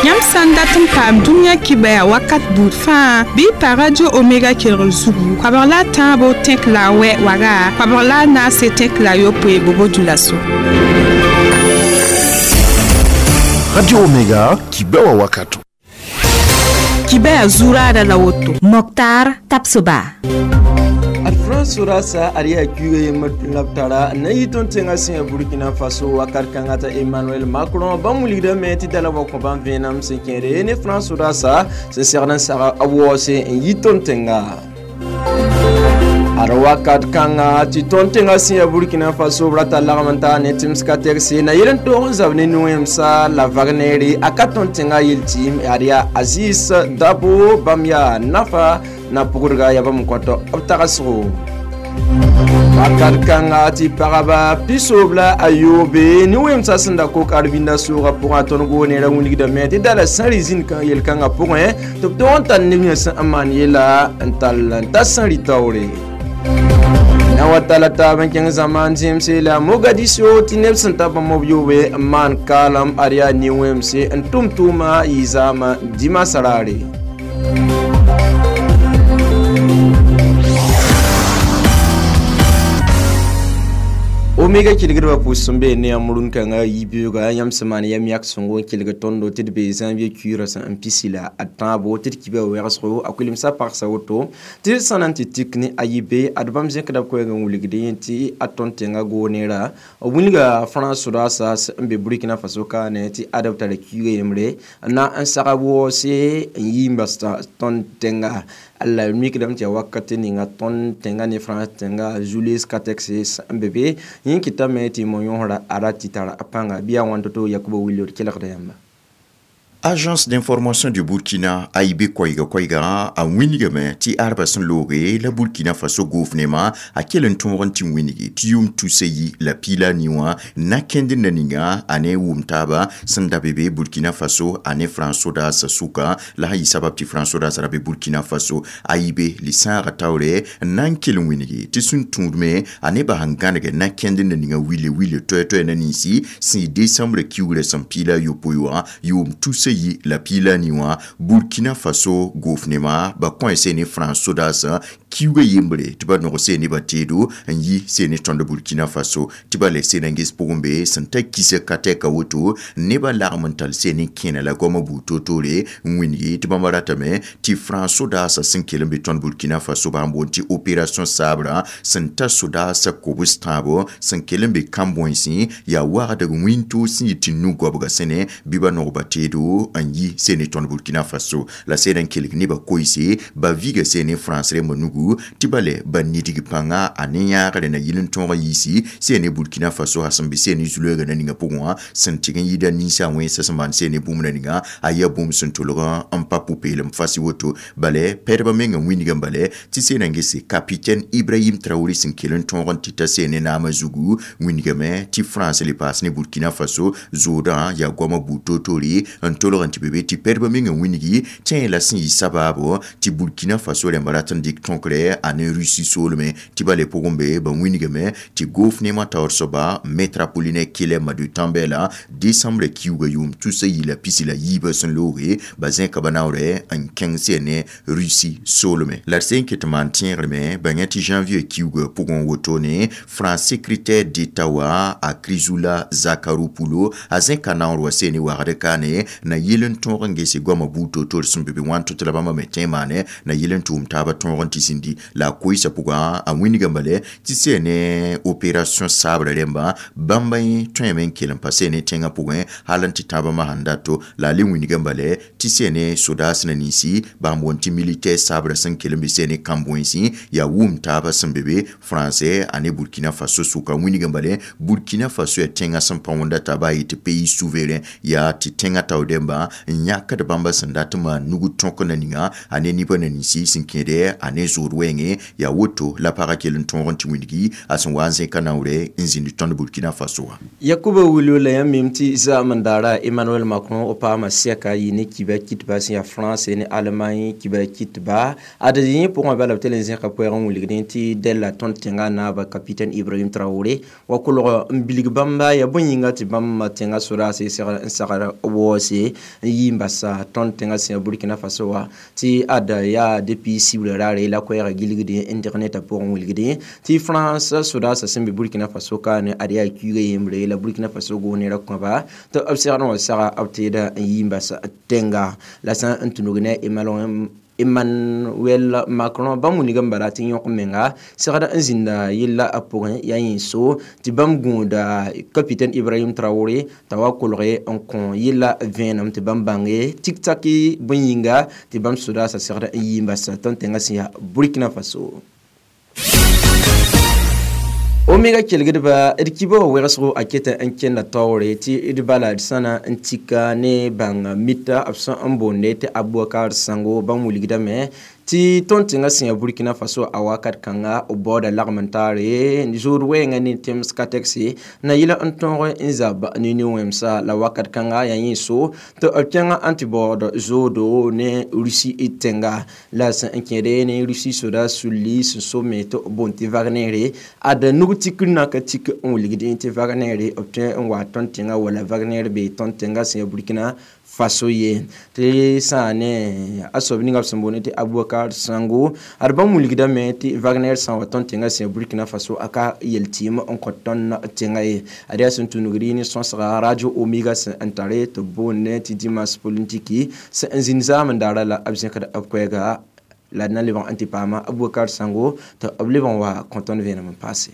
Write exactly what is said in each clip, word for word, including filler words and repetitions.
Yãmb sã n dat n paam dũniyã kibaya wakat buud fãa bɩ y pa Radio Omega kelgr zugu koabg la a tãabo tẽk la a wɛ waga koabg la a naase tẽk la a yopoe bobo dulaso. Radio Omega kibawa wakato. Kibaya zuraada la woto. Moktar Tapsoba. France surasa ariya kuge yemma labtara na yiton tenga sin Burkina Faso wakar kanga ta Emmanuel Macron ba muligda me ti dala wa ko ban venam sen kere ne France surasa se sernan sara awose yiton tenga Arwakat kanga ti ton tenga sin Burkina Faso brata lagmanta ne timska terse na yelen to zavne nuemsa la Wagneri akaton tenga yiltim aria Aziz Dabo Bamya Nafa na pugurga yaba mkoto abtagasro Wakat kanga ti paraba pisobla ayobe ni wemsa senda ko karbinda sura pour aton go ne ra wuni da me ti dala sanrizin kan yel kanga pour hein to ton tan ni sa aman yela ental ta sanri tawre na watala ta bankin zaman jimse la Mogadiscio ti nebsen ta ba mobyobe man kalam aria ni wemse ntumtuma izama dima sarare. Omega kilgirba pusumbe ne amurun kanga yibiyoga yam samani yam yak songo kilga tondo tidbe janvier cura sa pisila atabo tid kibe werso akulim sa parsa woto tid sananti tikni ayibe adbam zenkda ko nga wuligde ti aton tenga gonera wulga France rasa mbe Burkina Faso ka ne ti adapta le cure yemre na an sarawo se yimba ton tenga alla mikdam ti wakati ninga ton tenga ne France tenga Julius Katex mbebe yinkita meti moyon arati tara apanga biya wantoto Yakuba Williot kelagda yamba. Agence d'information du Burkina A I B koiga koiga a winigame ti arba sẽn looge la Burkina Faso gouvernement a kell n tõog n tɩ winigi tɩ yʋʋm tusa yi la piila ni wã na kẽnd na ninga a ne wʋm taaba sẽn da be be Burkina Faso a ne France sodaasã sʋka la sã yɩ sabab tɩ France sodaasã ra be Burkina Faso A I B li-sãagã taoore n na n kell n winigi tɩ sẽn tũudme a ne bas n gãneg na kẽnd na ninga wile wile toɛ-toɛ na ninsi sẽn yɩ décembre kiugrã sẽn piila a yopoe wã yʋʋm tusa yi la pila ni wã Burkina Faso gouvernement ba kõ se ne France sodaasã kiuga yembre tɩ ba nog se ne ba teedo n yi se ne tõnd Burkina Faso tɩ ba le se na n ges pʋgẽ be sẽn ta kisa ka tɛka woto nebã lagm n tall se ne kẽna la goamã buud toor-toore n wĩngi tɩ bãmba ratame tɩ France sodaasã sẽn kell n be tõnd Burkina Faso bãmb boond tɩ opération Sabre sẽn ta sodaasã kobs tãabo sẽn kell n be kãn-bõensẽ yaa wagdg wĩntoog sẽn yɩ tɩ nu-goabga sẽne bɩ ba nog ba teedo n yi se ne tõnd Burkina Faso la se na n kelg nebã koeese ba viga se ne France rẽmbã nugu tɩ ba le ba nidg pãnga a ne yãagre na yɩl n tõog n yiisi se ne Burkina Faso a sẽn be se ne zulöögã na ninga pʋgẽ wã sẽn tɩg n yɩɩda ninsã wẽnsa sẽn maan se ne bũmb na ninga a yaa bũmb sẽn tolg n pa pʋ-peelem fas woto bale pɛdbã mengã wĩnigã bale tɩ se na n gese capitaine Ibrahim Traoré sẽn kell n tõog n tɩ ta se ne naamã zugu wĩnigame tɩ France le paas ne Burkina Faso zoodã yaa goamã buud toor-toore n tolg n tɩ be be tɩ pɛdbã mengã wĩnigi tẽ la sẽn yɩ sabaabo tɩ Burkina Faso rẽmba rat n dɩk tõkre a ne Russie soolme tɩ ba le pʋgẽ be ba wĩnigame tɩ gouvernement taoor soaba Maître Apollinaire Kele Madu Tambela décembre kiuga yʋʋm tusa yi la pisi la yiibã sẽn looge ba zẽka ba naoore n kẽng se ne Russie soolme la d sẽn ket n maan tẽegreme ba yẽ tɩ janvier kiuga pʋgẽ wotone France secrétaire d'État wa a Chrysoula Zacharopoulou a zẽka naoor wa se ne wagd kaane na yel n tõog n gese goamã buud toor-toor sẽn be be wãn tɩ la bãmba me tẽ maane na yel n tʋʋm taabã tõog n tɩ zĩndi la a koeesã pʋgã a wĩnigã bale tɩ se ne opération Sabre rẽmba bãmba yẽ tõeme n kell n pa se ne tẽngã pʋgẽ hal n tɩ tãabã masãn dato la a le wĩnigã bale tɩ se ne sodaas na ninsi bãmb boond tɩ militaire Sabre sẽn kell n be se ne kãn-bõensẽ yaa wʋm taabã sẽn be be français a ne Burkina Faso sʋka wĩnigã bale Burkina Faso yaa tẽngã sẽn pa wõnda taaba a yetɩ pays souverain yaa tɩ tẽngã tao dẽmba n yãkd bãmba sẽn dat n maan nug tõk na ninga a ne nibã na ninsi sẽn kẽede a ne zoodã zood wɛɛngẽ yaa woto la pagã kell n tõog n tɩ wilgi a sẽn wa n zẽka naoorɛ n zĩnd tõnd Burkina Faso wã. Yakuba Wulu la yãmb mim tɩ zaam n daara Emmanuel Macron o paama sɛka yɩ ne kiba kitba sẽn yaa France ne Allemagne kiba kitba ad yẽ pʋgã bala b tɩ le zẽka koɛɛg n wilgdẽ tɩ dɛlla tõnd tẽnga naaba capitaine Ibrahim Traoré wa kolg n bilg bãmba yaa bõe yĩnga tɩ bãmb tẽnga sodaase n sagr waoose n yi n basa tõnd tẽnga sẽn yaa Burkina Faso wã tɩ ad yaa depuis sibra raare la koɛɛga gilgdẽ n deg ne t'a pʋgẽ wilgdẽ tɩ France sodaasã sẽn be Burkina Faso ka ne ad yaa kuiga yembre la Burkina Faso goonera kõba tɩ b segd n wa saga b teeda n yi n bas tẽnga la sã n tũnug ne Emmanuel Macron bãmb wilg n bala tɩ yõk menga segd n zĩnda yella a pʋgẽ yaa yẽ so tɩ bãmb gũuda capitaine Ibrahim Traoré t'a wa kolge n kõ yella vẽenem tɩ bãmb bãnge tik-taki bõe yĩnga tɩ bãmb sodaasã segd n yi n bas tõnd tẽngã sẽn yaa Burkina Faso. Omega kelgdba d kiba wa wɛgsgo a keta n kẽnda taoore tɩ d bala d sãna n tika ne bãng mita b sẽn n boonde tɩ Abubakar Sango bãmb wilgdame tɩ tõnd tẽngã sẽn yaa Burkina Faso a wakat kãnga b baooda lagm n taare zood wɛɛngã ne tẽms ka tɛkse na yɩl n tõog n zab ne nin-wẽmsa la wakat kãnga yaa yẽ so tɩ b kẽngã n tɩ baood zoodo ne Russie tẽnga la sẽn n kẽede ne Russie soda sulli sẽn so me tɩ b boond tɩ Wagner ad nug tikr na ka tik n wilgdẽ tɩ Wagner b tõe n wa tõnd tẽnga wala Wagner be tõnd tẽnga sẽn yaa Burkina Faso ye tɩ sã ne a soab ninga b sẽn boond tɩ Abubakar Sango ad bãmb wilgdame tɩ Wagner sã n wa tõnd tẽngã sẽn yaa Burkina Faso a ka yel-tɩɩm n kõ tõnd tẽngã ye ad yaa sẽn tũnugd ne sõsga Radio Omega sẽn n tare tɩ b boond tɩ dimanche politiki sẽn n zĩnd zaam n daara la b zẽkd b koɛɛga la d na lebg n tɩ paama Abubakar Sango tɩ b lebg n wa kõ tõnd vẽenem n paase.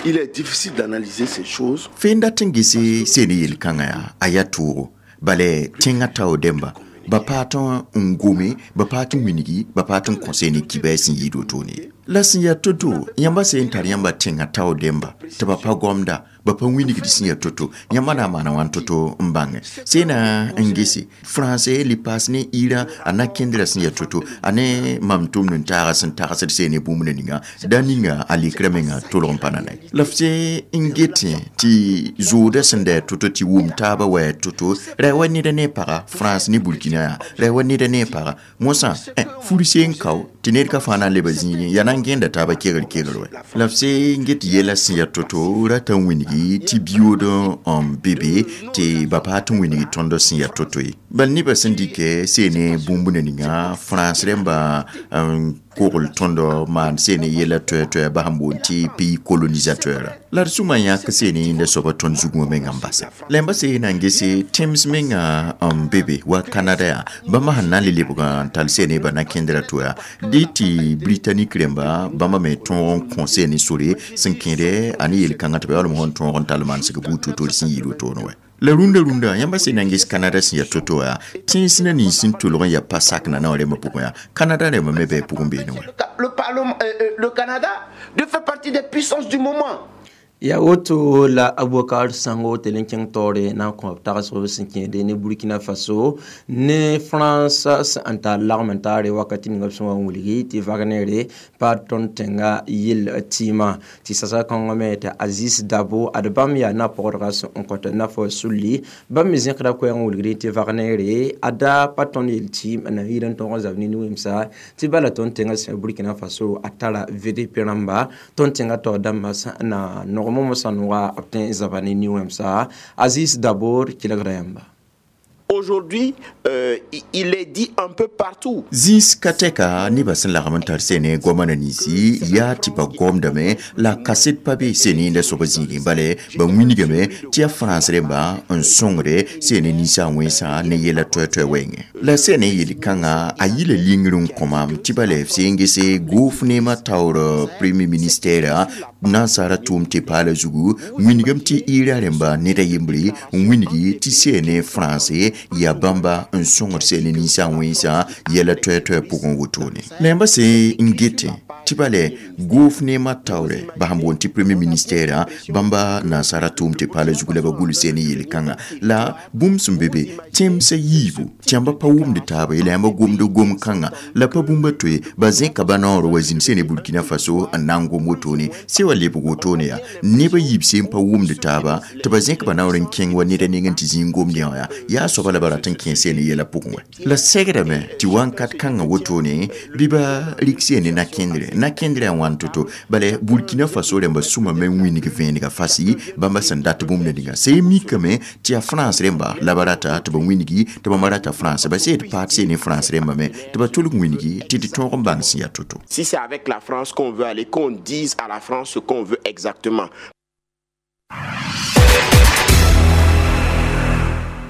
Il est difficile d'analyser ces choses. Fẽnda tɩ n gese seen yel-kãngã yaa a yaa toogo bala tẽngã tao dẽmba ba paa tɩ n gome ba paa tɩ wilgi ba paa tɩ n kõ ne kiba sẽn yɩɩd wotone la sẽn yaa to-to yãmba sẽn n tar yãmba tẽngã tao dẽmba tɩ ba pa gomda ba pa wilgd sẽn yaa to-to yãmba na n maana wãn to-to n bãnge sẽna n gese français li paas ne Iran a na kẽndra sẽn yaa to-to a ne mam tʋmd n taaga sẽn tagsd seen ne bũmb ninga da ninga a likra menga tolg n pa na nay la f se n getẽ tɩ zooda sẽn da to-to tɩ wʋm taaba wa yaa to-to ra wa neda ne paga France ne Burkina yaa ra wa neda ne paga mosã fur seen kao tɩ ned ka fãa na n leba zĩigẽ yaa na n gẽnda taaba kegr kegr wɛ la f se n get yɛla sẽn yaa to-to rata n wilgi tɩ biyood n be be tɩ ba paa tɩ wilgi tõnd sẽn yaa to-to ye bal nebã sẽn dɩkɛ seene bũmb ninga France rẽmba kogl tõnd maan seene yɛla toɛ-toɛ ba sẽn boond tɩ pays colonisateur la d sũma yãk seene yẽnda soaba tõnd zugã menga n basa la yãmba se na n gese tẽms menga n be be wa Canada yaa bãmba sẽn na n le lebg n tall seene ba na kẽndra to yaa dɩ tɩ Britannique rẽmba bãmba me tõog n kõ seene sore sẽn kẽede a ne yel-kãngã tɩ ba yaoolem sẽn tõog n tall mansg buud to-to sẽn yɩɩd wotone wɛ la rũndã rũndã yãmba sẽn na n ges Canada sẽn yaa to-to yaa tẽns na nins sẽn tolg n yaa pa sak na na rẽmbã pʋgẽ yaa Canada rẽmba me bɩ pʋgẽ beene wɛ. Le Parlement, euh, le Canada de faire partie des puissances du moment. Ya woto la Abubakar Sango tɩ kẽng taoore na n kõ b tagsg sẽn kẽede ne Burkina Faso ne France sẽn n tar lagm n taare wakati ninga b sẽn wa n wilgi tɩ Wagner pa tõnd tẽngã yell tɩɩmã tɩ sasa kãngã me tɩ Aziz Dabo ad bãmb yaa na-pɔgdga sẽn n kõt nafɔ sulli bãmb me zẽkda koɛɛg n wilgd tɩ Wagner a da pa tõnd yel tɩɩm n na yɩɩd n tõog n zab ne nin-wẽmsa tɩ bala tõnd tẽngã sẽn Burkina Faso a tara V D P rãmba tõnd tẽngã taoor dãmbã sẽn na nog Aziz Dabo kelgda yãmba. Aujourd'hui, euh, il est dit un peu partout. Zĩis ka tɛka nebã sẽn lagm n tar sene goamã na ninsi yaa tɩ ba gomdame la kaset pa be sene la soab zĩigẽ bala ba wilgame tɩ yaa France rẽmba n sõngde sene ninsã wẽnsã ne yɛla toɛ-toɛ wɛɛngẽ la sene yel-kãngã a yɩla lingr n kõ maam tɩ bala f seen gese gʋʋf neemã taoor premier ministère nansara tʋʋm tɩ paala zugu wilgame tɩ Ira rẽmba ned a yembre n wilgi tɩ sene français yaa bãmba n sõngd sene ninsã wẽnsã yɛla toɛ-toɛ pʋgẽ wotone la yãmba sẽn n getẽ tɩ bala gʋʋf neemã taoorɛ ba sẽn boond tɩ premier ministère bãmba nansara tʋʋm tɩ paala zugu la ba gʋls sene yel-kãngã la bũmb sẽn be be tẽmsã yiibu tɩ yãmba pa pa wʋmd taaba ye la yãmb gomd gom-kãngã la pa bũmb toe ba zẽka ba naoor wa zĩnd sẽne Burkina Faso n na n gom wotone se wa lebg wotone yaa neb a yiib sẽn pa wʋmd taaba tɩ ba zẽk ba naoor n kẽng wa ned a nengẽ tɩ zĩig gomd yã wã yaa soaba la ba rat n kẽ sene yɛla pʋgẽ wɛ la segdame tɩ wãnkat kãngã wotone bɩ ba rɩk sene na-kẽndre na-kẽndrã wãn to-to bala Burkina Faso rẽmba sũma me n wĩnig vẽenega fasi bãmba sẽn dat bũmb ninga sẽn mikame tɩ yaa France rẽmba la ba rata tɩ ba wĩnigi tɩ bãmba rata France ba sed paat sene France rẽmba me tɩ ba tʋlg wĩnigi tɩ tɩ tõog n bãng sẽn yaa to-to. Si c'est avec la France qu'on veut aller, qu'on dise à la France ce qu'on veut exactement.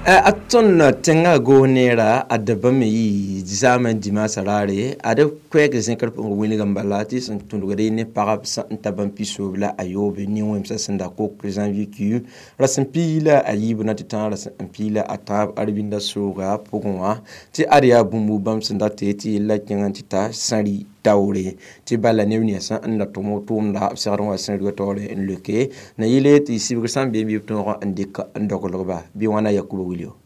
A tõnd tẽngã goos-neera a dabã me yɩ zaamã dimaasã raare ad koɛɛg zẽkr pʋgẽ wilg n bala tɩ sẽn tũdgd ne pagb sẽn ta bãmb pisoob la a yoobe nin-wẽmsã sẽn da kok janvier kiu rasem piig la a yiib na tɩ tã rasem n piig la a tãab arbĩndã sooga pʋgẽ wã tɩ ad yaa bũmb bãmb sẽn dat tɩ yella kẽng n tɩ ta sãri taoore tɩ bala neb ninsã n da tʋm tʋʋmda b segd n wa sẽn rɩga taoore n loke na yele tɩ sibg sã n beem bɩ b tõog n dɩk n doglgba bɩ wãna Yakuba Wilio.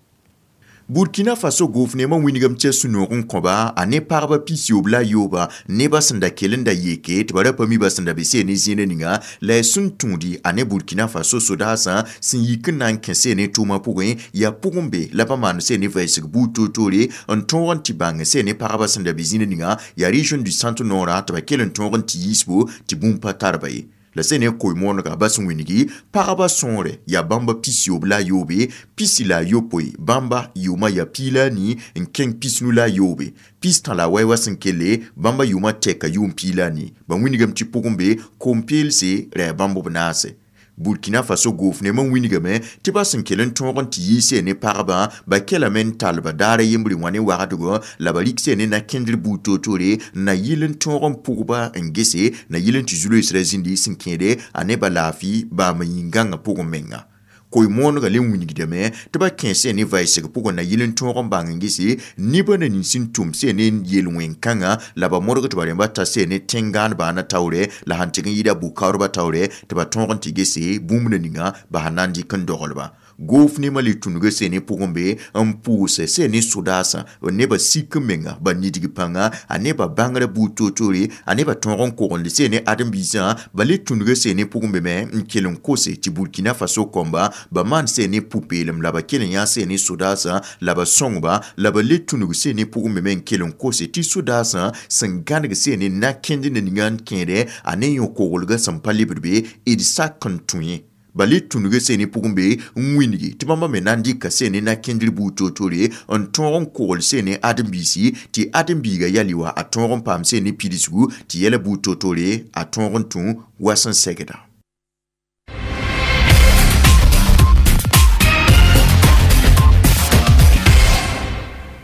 Burkina Faso gouvernement wĩnigame tɩ sũ-noog n kõba a ne pagba pisiyoob la a yooba nebã sẽn da kell n da yeke tɩ ba ra pa mi ba sẽn da be see ne zĩnã ninga la y sẽn tũudi a ne Burkina Faso sodaasã sẽn yik n na n kẽ see ne tʋʋmã pʋgẽ yaa pʋgẽ be la ba maan see ne vɛɛsg buud toor-toore n tõog n tɩ bãng see ne pagba sẽn da be zĩnã ninga yaa région du centre nord tɩ ba kell n tõog n tɩ yiisbo tɩ bũmb pa tar ba ye. La sẽn ne koe-moonega bas n wĩnigi pagba sõore yaa bãmba pisiyoob la a yoobe pisi la a yopoe bãmba yʋʋmã yaa piig la a nii n kẽng pisnu la a yoobe pistã la a wɛ wa sẽn kelle bãmba yʋʋmã tɛka yʋʋm piig la a nii ba wĩnigame tɩ pʋgẽ be kom-peelse ra yaa bãmb b naase. Burkina Faso gouvernement wĩnigame tɩ ba sẽn kell n tõog n tɩ yiise ne pagba ba kelame n talba daara yembre wã ne wagdgo la ba rɩk see ne na-kẽndr buud toor-toore na yɩl n tõog n pʋgba n gese na yɩl n tɩ zu-loeesrã zĩndi sẽn kẽede a ne ba laafɩ baam yĩn-gãngã pʋgẽ menga. Koe-moonega le wĩnigdame tɩ ba kẽ see ne vɛɛsg pʋgẽ na yɩl n tõog n bãng n gese nebã na nins n tʋm see ne yel-wẽn-kãngã la ba modg tɩ ba rẽmba ta see ne tẽn-gãan baana taoorɛ la sãn tɩg n yɩɩda bʋ-kaoodbã taoorɛ tɩ ba tõog n tɩ gese bũmb na ninga ba sẽn na n dɩk n doglba. Gouvernement le tũnuga see ne pʋgẽ be n pʋʋsɛ see ne sodaasã nebã sik n menga ba nidg pãnga a nebã bãngrã buud toor-toore a nebã tõog n kogend see ne ãdem-biisã ba le tũnuga see ne pʋgẽ be me n kell n kose tɩ Burkina Faso kõmba ba maan see ne pʋ-peelem la ba kell n yã see ne sodaasã la ba sõngba la ba le tũnug see ne pʋgẽ be me n kell n kose tɩ sodaasã sẽn gãneg see ne na-kẽnd na ninga n kẽede a ne yõ-koglgã sẽn pa lebd be d sak n tũ ye. Ba le tũnuga see ne pʋgẽ be n wĩnigi tɩ bãmba me na n dɩka see ne na-kẽndr buud toor-toore n tõog n kogl see ne ãdem-biisi tɩ ãdem-biiga yali wa a tõog n paam see ne pidsgu tɩ yɛla buud toor-toore a tõog n tũ wa sẽn segda.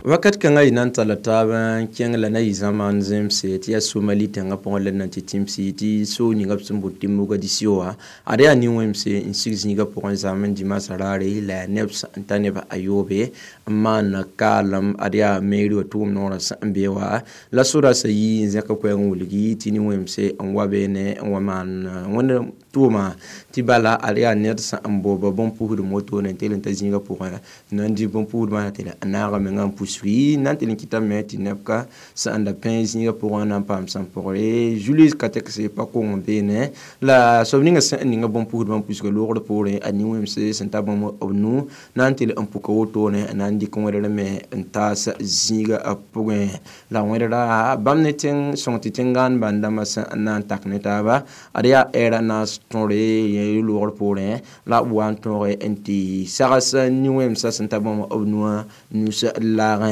Wakat kãngã y na n talla taab n kẽng la na yɩ zãmaan zemse tɩ yaa Somali tẽngã pʋgẽ la na n tɩ tĩmsi tɩ soog ninga b sẽn bot tɩ Mogadisio wã ad yaa nin-wẽmse n sig zĩigã pʋgẽ zãam n dimaasã raare la yaa neb sẽn ta neb a yoobe n maan kaalem ad yaa meeri wã tʋʋm noorã sẽn n be wã la sodaasã yii n zẽk koɛɛg n wilgi tɩ nin-wẽmse n wa beene n wa maan wẽnd tʋʋma tɩ bala ad yaa ned sẽn n booba bõn-pusd motone n teel n ta zĩigã pʋgẽ na n dɩ bõn-pusdbã na tɩ n naaga menga n pus na n tɩ n kɩtame tɩ neb ka sẽn da pẽ zĩigã pʋgẽ na n paam sẽn pʋgre Julius Katekse pa kong n beene la soab ninga sẽn n ninga bõn-pusdbã n pusga loogr poorẽ a nin-wẽmse sẽn ta bãmb b nu na n tɩ n puka wotone na n dɩk wẽdr me n taas zĩigã pʋgẽ la wẽdra bãmb ne tẽng sõng tɩ tẽn-gãan bãn-dãmbã sẽn na n tak ne taaba ad yaa ɛɛra naas tõre loogr poorẽ la b wa n tõoge n tɩ sags nin-wẽmsã sẽn ta bãmb b nuã nus laagẽ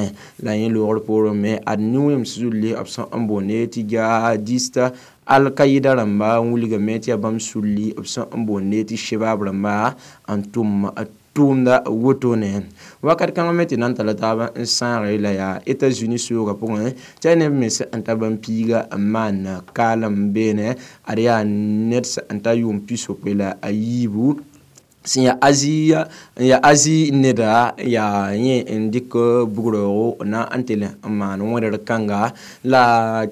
la yẽ loogr poorẽ me ad nin-wẽms zulli b sẽn n boonde tɩ jihadista Al-Qaïda rãmba n wilgame tɩ yaa bãmb sulli b sẽn n boonde tɩ shebab rãmba n tʋm tʋʋmda wotone wakat kãngã me tɩ na n talla taab n sãagre la yaa États-Unis soogã pʋgẽ tɩ yaa neb mens n ta bãmb piiga n maan kaalem beene ad yaa ned sẽn ta yʋʋm pisopoe la a yiibu Sẽn yaa Azi n yaa Azi neda yaa yẽ n dɩk bugroogo na n tɩ n maan wẽdr kãnga la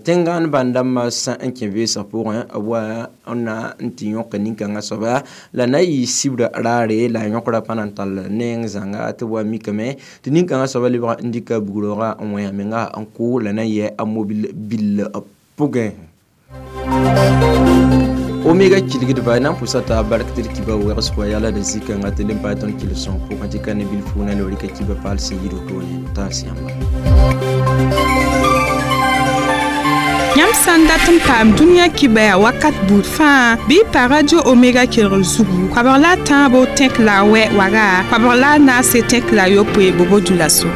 tẽngãan bãn-dãmbã sã n kẽ vɩɩsg pʋgẽ b wa n na n tɩ yõk nin-kãngã soaba la na yɩ sibra raare la a yõkra pa na n tall neng zãnga tɩ b wa mikame tɩ nin-kãngã soaba lebg n dɩka bugroogã n wẽ a menga n kʋ la na yɛ a mobil bill pʋgẽ. Omega kilgdba na n pʋsa t'a bark tɩ d kiba wegs pʋga yala d zikãngã tɩ lem paam tõnd kɩl-sõng pʋgẽ tɩ ka ne bilfu na loori ka kiba paal sẽn yid wotone taas yãmba. Yãmb sã n dat n paam dũniyã kibaya wakat buud fãa bɩ y pa Radio Omega kelgr zugu koabg la a tãabo tẽk la a wɛ waga koabg la a naase tẽk la a yopoe bobo dulaso.